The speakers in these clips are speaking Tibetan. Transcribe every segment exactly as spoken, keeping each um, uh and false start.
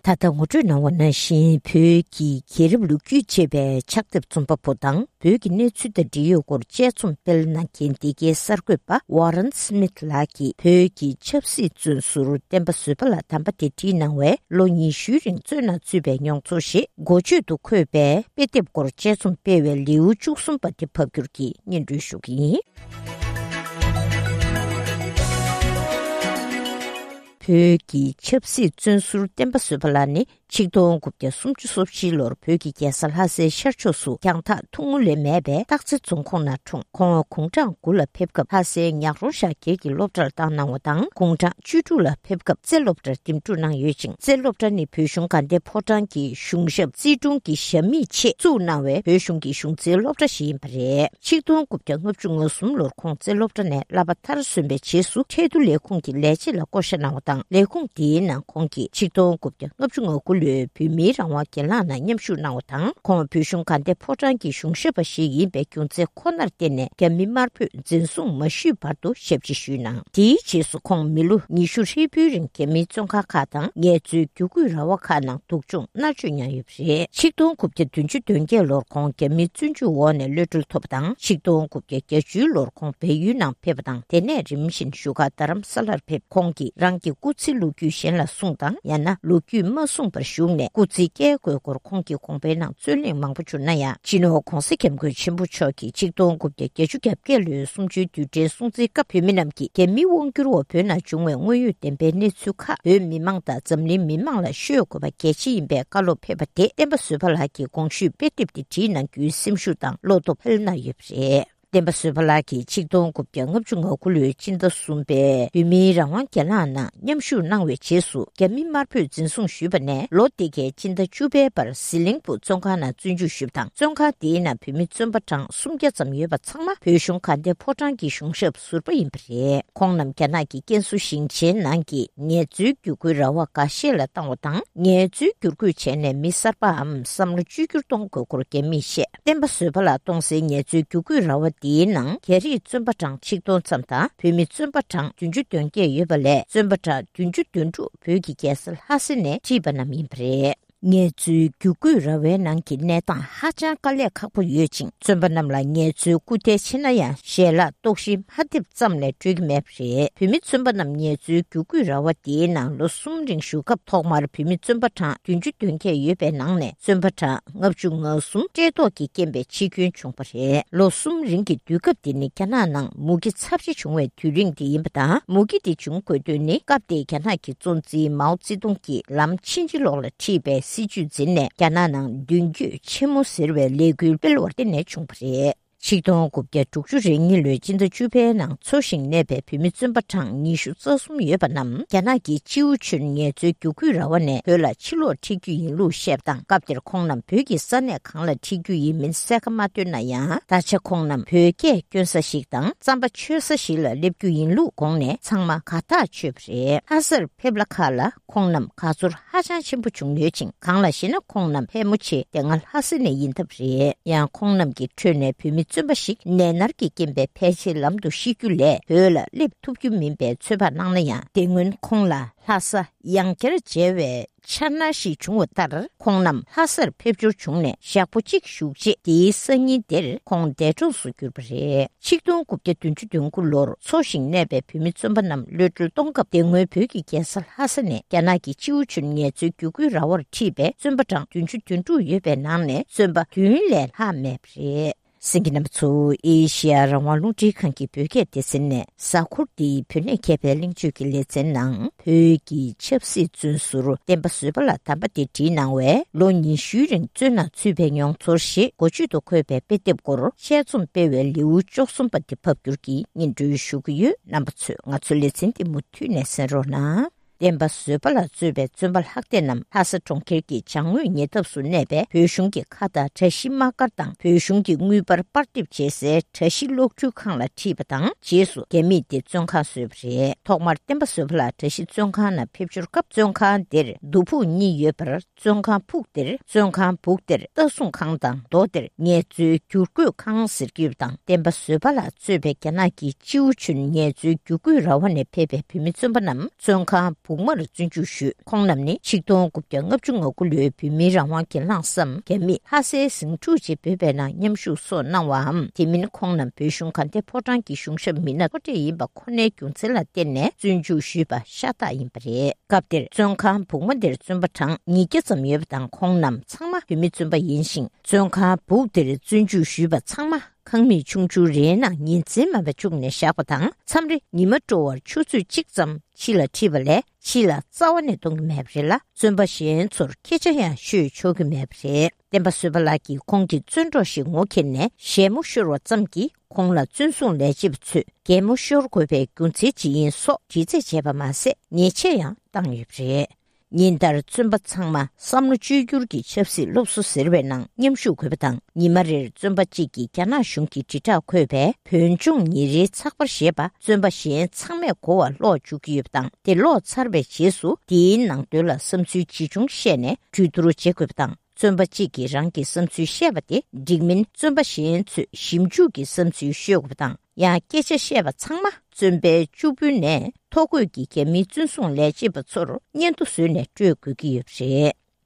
ད་ལྟ་ངོ་སྤྲོད་གནང་བ་ནང་བཞིན། བོད་ཀྱི་རྒྱལ་རབས་ལོ་རྒྱུས་ཅེས་པའི་ཕྱག་དེབ་རྩོམ་པ་པོ་དང་། བོད་ཀྱི་གནས་ཚུལ་དང་འབྲེལ་ཡོད་སྐོར་དཔྱད་རྩོམ་སྤེལ་གནང་མཁན་འདི་གའི་གསར་འགོད་པ་ཝ་རན་སི་མིད་ལགས་ཀྱིས། བོད་ཀྱི་ཆབ་སྲིད་བཙོན་ཟུར་བསྟན་པ་བཟོད་པ་ལགས་དམ་པ་དེ་བྲིས་གནང་བའི་ལོ་ཉི་ཤུའི་རིང་བཙོན་ནང་ཚུད་པའི་མྱོང་ཚོར་ཞེས་འགོ་བརྗོད་དུ་འཁོད་པའི་དཔེ་དེབ་སྐོར་དཔྱད་རྩོམ་སྤེལ་བའི་ལེའུ་བཅུ་གསུམ་པ་དེ་ཕབ་སྒྱུར་གྱིས་སྙན་སྒྲོན་ཞུ་གི་ཡིན། བོད་ཀྱི་ཆབ་སྲིད་བཙོན་ཟུར་བསྟན་པ་བཟོད་པ་ལགས་ནི། ཆིག་སྟོང་དགུ་བརྒྱ་སུམ་ཅུ་སོ་བཞི་ལོར་བོད་ཀྱི་རྒྱལ་ས་ལྷ་སའི་ཤར་ཕྱོགས་སུ་རྒྱང་ཐག་ཐུང་ངུ་ལས་མེད་པའི་སྟག་རྩེ་རྫོང་ཁོངས་ནང་འཁྲུངས། ཁོང་དགུང་གྲངས་དགུ་ལ་ཕེབས་སྐབས། ལྷ་སའི་ཉག་རོང་ཤར་སྒེར་གྱི་སློབ་གྲྭར་བཏང་གནང་བ་དང་། དགུང་གྲངས་བཅུ་དྲུག་ལ་ཕེབས་སྐབས། རྩེ་སློབ་གྲྭར་འདེམས་སྒྲུག་གནང་ཡོད་ཅིང་། རྩེ་སློབ་གྲྭ་ནི་བོད་གཞུང་དགའ་ལྡན་ཕོ་བྲང་གི་གཞུང་ཞབས་རྩིས་དྲུང་གི་ཞབས་མིག་ཆེད་བཙུགས་གནང་བའི་བོད་གཞུང་གི་གཞུང་རྩེའི་སློབ་གྲྭ་ཞིག་ཡིན་པ་རེད། ཆིག་སྟོང་དགུ་བརྒྱ་ལྔ་བཅུ་ང་གསུམ་ལོར་ཁོང་རྩེ་སློབ་གྲྭ་ནས་བསླབ་པ་མཐར་སོན་པའི་རྗེས་སུ། ཁྲལ་བསྡུ་ལས་ཁུངས་ཀྱི་ལས་བྱེད་ལ་བསྐོ་བཞག་གནང་བ་དང་། ལས་ཁུངས་དེའི་ནང་ཁོང་གིས་ཆིག་སྟོང་དགུ་བརྒྱ་ལྔ་བཅུ་ང་དགུ་ལོའི་བོད་མིའི་རང་དབང་སྒེར་ལངས་ནང་མཉམ་ཞུགས་གནང་བ་དང་། ཁོང་བོད་གཞུང་དགའ་ལྡན་ཕོ་བྲང་གི་གཞུང་ཞབས་པ་ཞིག་ཡིན་པའི་རྒྱུ་མཚན་ཁོ་ནར་བརྟེན་ནས། རྒྱ་མི་དམར་པོས་འཛིན་བཟུང་མ་ཞུས་བར་དུ་ཞབས་ཕྱི་ཞུས་གནང་། དེའི་རྗེས་སུ་ཁོང་མི་ལོ་ཉི་ཤུ་ཧྲིལ་པོའི་རིང་རྒྱ་མིའི་བཙོན་ཁང་ཁག་དང་ངལ་རྩོལ་བསྒྱུར་བཀོད་ར་བ་ཁག་ནང་སྡུག་སྦྱོང་མནར་གཅོད་མྱངས་ཡོད་པ་རེད། ཆིག་སྟོང་དགུ་བརྒྱ་བདུན་ཅུ་དོན་བརྒྱད་ལོར་ཁོང་རྒྱ་མིའི་བཙོན་འཇུག་འོག་ནས་གློད་གྲོལ་ཐོབ་པ་དང་། ཆིག་སྟོང་དགུ་བརྒྱ་བརྒྱད་ཅུ་ལོར་ཁོང་བལ་ཡུལ་ནང་ཕེབས་པ་དང་། དེ་ནས་རིམ་བཞིན་བཞུགས་སྒར་རྡ་རམ་ས་ལར་ཕེབས། ཁོང་གིས་རང་གི་སྐུ་ཚེའི་ལོ་རྒྱུས་གཞན་ལ་གསུངས་དང་། ཡང་ན་ལོ་རྒྱུས་མ་གསུངས་པར་བཞུགས་ནས། སྐུ་ཚེ་བསྐྱལ་དགོས་སྐོར་ཁོང་གི་དགོངས་པའི་ནང་རྩོད་གླེང་མང་པོ་བྱུང་ན་ཡང་། སྤྱི་ནོར་༧གོང་ས་༧སྐྱབས་མགོན་ཆེན་པོ་མཆོག་གིས་ཆིག་སྟོང་དགུ་བརྒྱ་བརྒྱད་ཅུ་གྱ་བརྒྱད་ལོའི་གསུམ་བཅུའི་དུས་དྲན་སྲུང་བརྩིའི་སྐབས། བོད་མི་རྣམས་ཀྱིས་རྒྱ་མིའི་དབང་བསྒྱུར་འོག་བོད་ནང་བྱུང་བའི་དངོས་ཡོད་བདེན་པའི་གནས་ཚུལ་ཁག་བོད་མི་མང་དང་འཛམ་གླིང་མི་མང་ལ་ཤོད་དགོས་པ་གལ་ཆེ་ཡིན་པའི་བཀའ་སློབ་ཕེབས་པ་དེ། བསྟན་པ་བཟོད་པ་ལགས་ཀྱིས་གོང་ཞུས་དཔེ་དེབ་དེ་བྲིས་གནང་རྒྱུའི་སེམས་ཤུགས་དང་བློ་སྟོབས་འཕེལ་གནང་ཡོད་པ་རེད། བསྟན་པ་བཟོད་པ་ལགས་ཀྱིས་ཆིག་སྟོང་དགུ་བརྒྱ་ལྔ་བཅུ་ང་དགུ་ལོའི་སྤྱི་ཟླ་གསུམ་པའི་བོད་མིའི་རང་དབང་སྒེར་ལངས་ནང་མཉམ་ཞུགས་གནང་བའི་རྗེས་སུ། རྒྱ་མི་དམར་པོས་འཛིན་བཟུང་ཞུས་པ་ནས། ལོ་དེ་གའི་སྤྱི་ཟླ་བཅུ་པའི་བར་ཟི་ལིང་བུ་བཙོན་ཁང་ནང་བཙོན་འཇུག་ཞུས་པ་དང་། བཙོན་ཁང་དེའི་ནང་བོད་མི་བཙོན་པ་གྲངས་སུམ་བརྒྱ་ཙམ་ཡོད་པ་ཚང་མ་བོད་གཞུང་དགའ་ལྡན་ཕོ་བྲང་གི་གཞུང་ཞབས་ཟུར་པ་ཡིན་པ་རེད། ཁོང་རྣམས་རྒྱ་ནག་གི་ཀན་སུའུ་ཞིང་ཆེན་ནང་གི་ངལ་རྩོལ་བསྒྱུར་བཀོད་ར་བ་འགའ་ཤས་ལ་བཏང་བ་དང་། ངལ་རྩོལ་བསྒྱུར་བཀོད་བྱས་ནས་མི་གསར་པའམ་བསམ་བློ་བཅོས་བསྒྱུར་གཏོང་དགོས་སྐོར་རྒྱ་མིས་བཤད། བསྟན་པ་བཟོད་པ་ལགས་གཏོང་སའི་ངལ་རྩོལ་བསྒྱུར་བཀོད་ར་བ་འདིའི་ནང་རྒྱ་རིགས་བཙོན་པ་གྲངས་ཆིག་སྟོང་ཙམ་དང་། བོད་མི་བཙོན་པ་གྲངས་བདུན་ཅུ་དོན་བརྒྱད་ཡོད་པ་ལས། བཙོན་པ་གྲངས་བདུན་ཅུ་དོན་དྲུག་བོད་ཀྱི་རྒྱལ་ས་ལྷ་ས་ནས་ཁྲིད་པ་རྣམས་ཡིན་པ་རེད། ངལ་རྩོལ་བསྒྱུར་བཀོད་ར་བའི་ནང་གི་གནས་སྟངས་ཧ་ཅང་དཀའ་ལས་ཁག་པོ་ཡོད་ཅིང་། བཙོན་པ་རྣམས་ལ་ངལ་རྩོལ་སྐུལ་འདེད་ཆེ་ན་ཡང་། ཞལ་ལག་ལྟོགས་ཤི་མ་ཐེབས་ཙམ་ལས་སྤྲོད་ཀྱི་མེད་པ་རེད། བོད་མི་བཙོན་པ་རྣམས་ངལ་རྩོལ་བསྒྱུར་བཀོད་ར་བ་དེའི་ནང་ལོ་གསུམ་རིང་བཞུགས་སྐབས། ཐོག་མར་བོད་མི་བཙོན་པ་གྲངས་བདུན་ཅུ་དོན་བརྒྱད་ཡོད་པའི་ནང་ནས། བཙོན་པ་གྲངས་ལྔ་བཅུ་ང་གསུམ་བཀྲེས་ལྟོགས་ཀྱི་རྐྱེན་པས་འཆི་སྐྱོན་བྱུང་བ་རེད། ལོ་གསུམ་རིང་གི་དུས་སྐབས་དེ་ནི་རྒྱ་ནག་ནང་མུ་གེ་ཚབས་ཆེ་བྱུང་བའི་དུས་རིང་དེ་ཡིན་པ་དང་། མུ་གེ་དེ་བྱུང་དགོས་དོན་ནི། སྐབས་དེའི་རྒྱ་ནག་གི་གཙོ་འཛིན་མའོ་ཙེ་ཏུང་གིས་ལམ་ཕྱིན་ཅི་ལོག་ལ་ཁྲིད་པའི་སྲིད་ཇུས་འཛིན་ནས། རྒྱ་ནག་ནང་མདུན་སྐྱོད་ཆེན་མོ་ཟེར་བའི་ལས་འགུལ་སྤེལ་བར་བརྟེན་ནས་བྱུང་བ་རེད། ཆིག་སྟོང་དགུ་བརྒྱ་དྲུག་ཅུ་རེ་གཉིས་ལོའི་སྤྱི་ཟླ་བཅུ་པའི་ནང་འཚོ་ཞིང་གནས་པའི་བོད་མི་བཙོན་པ་གྲངས་ཉི་ཤུ་རྩ་གསུམ་ཡོད་པ་རྣམས། རྒྱ་ནག་གི་ཅིའུ་ཆུན་ངལ་རྩོལ་བསྒྱུར་བཀོད་ར་བ་ནས་བོད་ལ་ཕྱིར་ལོག་ཁྲིད་རྒྱུ་ཡིན་ལུགས་བཤད་པ་དང་། སྐབས་དེར་ཁོང་རྣམས་བོད་ཀྱི་ས་གནས་གང་ལ་ཁྲིད་རྒྱུ་ཡིན་མིན་གསལ་ཁ་མ་བཏོན་ན་ཡང་། ད་ཆ་ཁོང་རྣམས་བོད་སྐད་སྐྱོན་ས་ཞིག་དང་རྩམ་པ་མཆོད་ས་ཞིག་ལ་སླེབས་རྒྱུ་ཡིན་ལུགས་དགོངས་ནས། ཚང་མ་དགའ་ཐག་ཆོད་པ་རེད། ལྷ་སར་ཕེབས་ལ་ཁག་ལ། ཁོང་རྣམས་དགའ་ཚོར་ཧ་ཅང་ཆེན་པོ་བྱུང་ཡོད་ཅིང་། གང་ལགས་ཤེ་ན། ཁོང་རྣམས་ཕལ་མོ་ཆེ་དེ་སྔ་ལྷ་ས་ནས་ཡིན་ཐབས་རེད། ཡང་ཁོང་རྣམས་ཀྱི་ཁྲོད་ནས་བོད་མི་བཙོན་པ་ཞིག་ནད་མནར་གྱི་རྐྱེན་པས་ཕལ་ཆེར་ལམ་དུ་ཤི་རྒྱུ་ལས་བོད་ལ་སླེབས་ཐུབ་རྒྱུ་མིན་པའི་ཚོད་དཔག་གནང་ན་ཡང་། དེ་སྔོན་ཁོང་ལ་ལྷ་ས་ཡང་བསྐྱར་མཇལ་བའི་འཆར་སྣང་ཞིག་བྱུང་བ་ལྟར། ཁོང་རྣམས་ལྷ་སར་ཕེབས་འབྱོར་བྱུང་ནས་ཞག་པོ་གཅིག་བཞུགས་རྗེས། དེའི་སང་ཉིན་དེར་ཁོང་འདས་གྲོངས་སུ་གྱུར་པ་རེད། ཆིག་སྟོང་དགུ་བརྒྱ་བདུན་ཅུ་དོན་དགུ་ལོར་འཚོ་ཞིང་གནས་པའི་བོད་མི་བཙོན་པ་རྣམས་གློད་གྲོལ་གཏོང་སྐབས། དེ་སྔོན་བོད་ཀྱི་རྒྱལ་ས་ལྷ་ས་ནས་རྒྱ་ནག་གི་ཅིའུ་ཆུན་ངལ་རྩོལ་བསྒྱུར་བཀོད་ར་བར་ཁྲིད་པའི་བཙོན་པ་གྲངས་བདུན་ཅུ་དོན་དྲུག་ཡོད་པའི་ནང་ནས། བཙོན་པ་བདུན་ལས་ལྷག་མེད་པ་རེད། གསན་མཁན་རྣམ་པ་ཚོ། ཨེ་ཤེ་ཡ་རང་དབང་རླུང་འཕྲིན་ཁང་གི་བོད་སྐད་སྡེ་ཚན་ནས། གཟའ་འཁོར་འདིའི་བོད་གནས་མཁས་པའི་གླེང་བརྗོད་ཀྱི་ལེ་ཚན་ནང་། བོད་ཀྱི་ཆབ་སྲིད་བཙོན་ཟུར་བསྟན་པ་བཟོད་པ་ལགས་དམ་པ་དེ་བྲིས་གནང་བའི་ལོ་ཉི་ཤུའི་རིང་བཙོན་ནང་ཚུད་པའི་མྱོང་ཚོར་ཞེས་འགོ་བརྗོད་དུ་འཁོད་པའི་དཔེ་དེབ་སྐོར་དཔྱད་རྩོམ་སྤེལ་བའི་ལེའུ་བཅུ་གསུམ་པ་དེ་ཕབ་སྒྱུར་གྱིས་སྙན་སྒྲོན་ཞུ་གི་ཡོད། རྣམ་པ་ཚོས་ང་ཚོའི་ལེ་ཚན་འདི་མུ་མཐུད་ནས་གསན་རོགས་གནང་། བསྟན་པ་བཟོད་པ་ལ་གཙོས་པའི་བཙོན་པ་ལྷག་སྡེ་རྣམས་ལྷ་ས་གྲོང་ཁྱེར་གྱི་བྱང་ངོས་ཉེ་འདབས་སུ་གནས་པའི་བོད་གཞུང་གི་མཁའ་དང་བཀྲ་ཤིས་དམག་སྒར་དང་། བོད་གཞུང་གི་དངུལ་འབར་པར་འདེབས་བྱེད་སའི་བཀྲ་ཤིས་གློག་འཕྲུལ་ཁང་ལ་ཁྲིད་པ་དང་། རྗེས་སུ་རྒྱ་མིས་དེ་བཙོན་ཁང་བཟོས་པ་རེད། ཐོག་མར་བསྟན་པ་བཟོད་པ་ལགས་བཀྲ་ཤིས་བཙོན་ཁང་ནང་ཕེབས་འབྱོར་སྐབས། བཙོན་ཁང་དེར་མདོ་ཕུག་གཉིས་ཡོད་པར། བཙོན་ཁང་ཕུག་དེར་བཙོན་ཁང་སྦུག་དེར་ལྟ་སྲུང་ཁང་དང་། མདོ་དེར་ངལ་རྩོལ་བསྒྱུར་བཀོད་ཁང་ཟེར་གྱི་ཡོད་པ་དང་། བསྟན་པ་བཟོད་པ་ལ་གཙོས་པའི་རྒྱ་ནག་གི་ཅིའུ་ཆུན་ངལ་རྩོལ་བསྒྱུར་བཀོད་ར་བ་ནས་ཕེབས་པའི་བོད་མི་བཙོན་པ་རྣམས་བཙོན་ཁང་ བུག་དམར་བཙོན་འཇུག་ཞུས། ཁོང་རྣམས་ནི་ཆིག་སྟོང་དགུ་བརྒྱ་ལྔ་བཅུ་ང་དགུ་ལོའི་བོད་མིའི་རང་དབང་གྱེན་ལངས་སམ། རྒྱ་མིས་ལྷ་སའི་ཟིང་འཁྲུག་ཅེས་འབོད་པའི་ནང་མཉམ་ཞུགས་སོགས་གནང་བའམ། དེ་མིན་ཁོང་རྣམས་བོད་གཞུང་དགའ་ལྡན་ཕོ་བྲང་གི་གཞུང་ཞབས་མི་སྣ་མཐོ་གྲས་ཡིན་པ་ཁོ་ནའི་རྒྱུ་མཚན་ལ་བརྟེན་ནས་བཙོན་འཇུག་ཞུས་པ་ཤ་སྟག་ཡིན་པ་རེད། སྐབས་དེར་བཙོན་ཁང་བུག་དམར་དེར་བཙོན་པ་གྲངས་ཉིས་བརྒྱ་ཙམ་ཡོད་པ་དང་། ཁོང་རྣམས་ཚང་མ་བོད་མི་བཙོན་པ་ཡིན་ཞིང་། བཙོན་ཁང་བུག་དེར་བཙོན་འཇུག་ཞུས་པ་ཚང་མ་ཁང་མིག་ཆུང་ཆུང་རེའི་ནང་ཉིན་མཚན་མིན་པ་བཅུག་ནས་བཞག་པ་དང་། མཚམས་རེ་ཉི་མ་དྲོ་བར་ཆུ་ཚོད་གཅིག་ཙམ་ཕྱི་ལ་ཁྲིད་པ་ལས་ཕྱི་ལ་རྩ་བ་ནས་གཏོང་གི་མེད་པ་རེད་ལ། བཙོན་པ་གཞན་ཚོར་སྐད་ཆ་ཡང་ཤོད་ཆོག་གི་མེད་པ་རེད། བསྟན་པ་བཟོད་པ་ལགས་ཀྱིས་ཁོང་གི་བཙོན་གྲོགས་ཤིག་ངོ་འཁྱེར་ནས་ཞལ་མོ་ཤོར་བ་ཙམ་གྱིས་ཁོང་ལ་བཙོན་སྲུང་ལས་བྱེད་པ་ཚོས་གད་མོ་ཤོར་དགོས་པའི་རྒྱུ་མཚན་ཇི་ཡིན་སོགས་དྲི་རྩད་བྱས་པ་མ་ཟད། ཉེས་ཆད་ཡང་བཏང་ཡོད་པ་རེད། ཉིན་ལྟར་བཙོན་པ་ཚང་མ་བསམ་བློ་བཅོས་བསྒྱུར་གྱི་ཆབ་སྲིད་སློབ་གསོ་ཟེར་བའི་ནང་མཉམ་ཞུགས་དགོས་པ་དང་། ཉི་མ་རེར་བཙོན་པ་གཅིག་གིས་རྒྱ་ནག་གཞུང་གི་དྲིལ་བསྒྲགས་འཁོད་པའི་བོད་ལྗོངས་ཉིན་རེའི་ཚགས་པར་ཞེས་པ་བཙོན་པ་གཞན་ཚང་མས་གོ་བར་ཀློག་འཇུག་གི་ཡོད་པ་དང་། དེ་ཀློག་ཚར་བའི་རྗེས་སུ་དེའི་ནང་དོན་ལ་བསམ་ཚུལ་ཇི་བྱུང་བཤད་ནས་གྲོས་བསྡུར་བྱེད་དགོས་པ་དང་། བཙོན་པ་གཅིག་གིས་རང་གི་བསམ་ཚུལ་བཤད་པ་དེ་འགྲིག་མིན་བཙོན་པ་གཞན་ཚོས་ཞིབ་འཇུག་གིས་བསམ་ཚུལ་ཤོད་དགོས་པ་དང་། ཡང་སྐད་ཆ་བཤད་པ་ཚང་མ་བཙོན་པའི་གཅུག་དཔོན་ནས་ཐོ་འགོད་ཀྱིས་རྒྱ་མིའི་བཙོན་སྲུང་ལས་བྱེད་པ་ཚོར་སྙན་ཐོ་བཟོས་ནས་སྤྲོད་དགོས་ཀྱི་ཡོད་པ་རེད།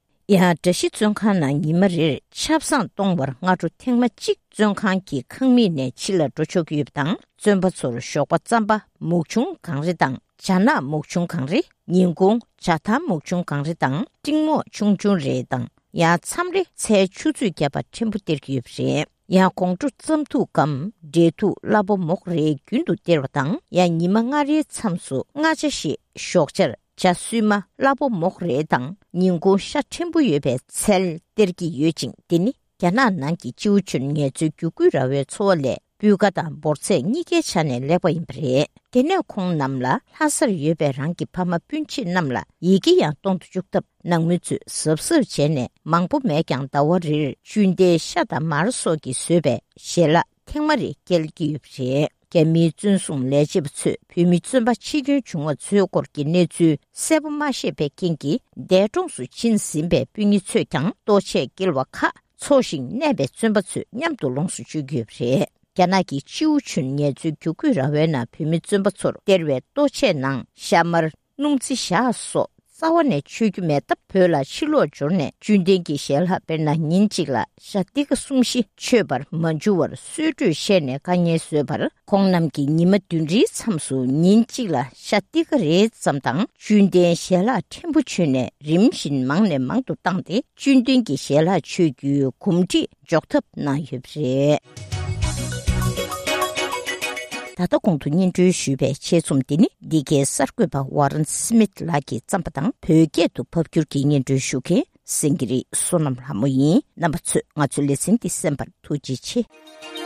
ཡང་འགྲ་བཞི་བཙོན་ཁང་ནང་ཉི་མ་རེར་ཆབ་གསང་གཏོང་བར་སྔ་དྲོ་ཐེངས་མ་གཅིག་བཙོན་ཁང་གི་ཁང་མིག་ནས་ཕྱི་ལ་འགྲོ་ཆོག་གི་ཡོད་པ་དང་། བཙོན་པ་ཚོར་ཞོགས་པ་རྩམ་པ་མུག་ཆུང་གང་རེ་དང་། ཇ་ནག་མུག་ཆུང་གང་རེ། ཉིན་གུང་ཇ་ཐང་མུག་ཆུང་གང་རེ་དང་། ཏིང་མོག་ཆུང་ཆུང་རེ་དང་། ཡང་མཚམས་རེ་ཚལ་ཆུ་ཚོད་བརྒྱབ་པ་ཕྲན་བུ་སྟེར་གྱི་ཡོད་པ་རེད། ཡང་དགོང་དྲོ་རྩམ་ཐུག་གམ་འབྲས་ཐུག་སླ་པོ་མོག་རེ་རྒྱུན་དུ་སྟེར་བ་དང་། ཡང་ཉི་མ་ལྔ་རེའི་མཚམས་སུ་སྔ་ཇ་ཞེས་ཞོགས་ཇར་ཇ་སུལ་མ་སླ་པོ་མོག་རེ་དང་། ཉིན་གུང་ཤ་ཕྲན་བུ་ཡོད་པའི་ཚལ་སྟེར་གྱི་ཡོད་ཅིང་། དེ་ནི་རྒྱ་ནག་ནང་གི་སྤྱི་བོ་ཆེན་ངལ་རྩོལ་བརྒྱུད་སྐུལ་ར་བའི་འཚོ་བ་ལས་སྤུས་ཀ་དང་འབོར་ཚད་གཉིས་ཀའི་ཆ་ནས་ལེགས་པ་ཡིན་པ་རེད། དེ་ནས་ཁོང་རྣམས་ལ་ལྷ་སར་ཡོད་པའི་རང་གི་ཕ་མ་སྤུན་མཆེད་རྣམས་ལ་ཡི་གེ་ཡང་གཏོང་དུ་བཅུག་སྟབས། ནང་མི་ཚོས་གཟབ་གཟབ་བྱས་ནས་མང་པོ་མེད་ཀྱང་ཟླ་བ་རེར་བཅུད་ལྡན་ཤ་དང་མར་སོགས་ཀྱིས་བཟོས་པའི་ཞལ་ལག་ཐེངས་མ་རེ་སྐྱེལ་གྱི་ཡོད་པ་རེད། རྒྱ་མིའི་བཙོན་སྲུང་ལས་བྱེད་པ་ཚོས་བོད་མི་བཙོན་པ་འཆི་སྐྱོན་བྱུང་བ་ཚོའི་སྐོར་གྱི་གནས་ཚུལ་གསལ་པོ་མ་ཤེས་པའི་རྐྱེན་གྱིས། འདས་གྲོངས་སུ་ཕྱིན་ཟིན་པའི་སྤུན་ཉེ་ཚོས་ཀྱང་ལྟོ་ཆས་སྐྱེལ་བ་ཁག་འཚོ་ཞིང་གནས་པའི་བཙོན་པ་ཚོས་མཉམ་དུ་ལོངས་སུ་སྤྱོད་ཀྱི་ཡོད་པ་རེད། རྒྱ་ནག་གི་སྤྱི་བོ་ཆེན་ངལ་རྩོལ་བརྒྱུད་སྐུལ་ར་བའི་ནང་བོད་མི་བཙོན་པ་ཚོར་སྟེར་བའི་ལྟོ་ཆས་ནང་ཤ་མར། སྣུམ་རྩི་ཞག་སོགས་རྩ་བ་ནས་མཆོད་རྒྱུ་མེད་སྟབས། བོད་ལ་ཕྱིར་ལོག་འབྱོར་ནས་བཅུད་ལྡན་གྱི་ཞལ་ལག་དཔེར་ན་ཉིན་གཅིག་ལ་ཤ་ཏི་ཀ་གསུམ་བཞི་མཆོད་པར་མ་འཇུ་བར་གསོལ་གྲོས་བཤད་ནས་དཀའ་ངལ་བཟོས་པར། ཁོང་རྣམས་ཀྱིས་ཉི་མ་བདུན་རེའི་མཚམས་སུ་ཉིན་གཅིག་ལ་ཤ་ཏི་ཀ་རེ་ཙམ་དང་བཅུད་ལྡན་ཞལ་ལག་ཕྲན་བུ་མཆོད་ནས་རིམ་བཞིན་མང་ནས་མང་དུ་བཏང་སྟེ། བཅུད་ལྡན་གྱི་ཞལ་ལག་མཆོད་རྒྱུའི་གོམས་འདྲིས་འཇོག་ཐབས་གནང་ཡོད་པ་རེད། ད་ལྟ་གོང་དུ་སྙན་སྒྲོན་ཞུས་པའི་ཆེད་རྩོམ་འདི་ནི་འདི་གའི་གསར་འགོད་པ་ཝ་རན་སི་མིད་ལགས་ཀྱིས་བརྩམས་པ་དང་། བོད་སྐད་དུ་ཕབ་སྒྱུར་གྱིས་སྙན་སྒྲོན་ཞུ་མཁན་སེང་གེ་རི་བསོད་ནམས་ལྷ་མོ་ཡིན། རྣམ་པ་ཚོས་ང་ཚོའི་ལེ་ཚན་འདི་གསན་པར་ཐུགས་རྗེ་ཆེ།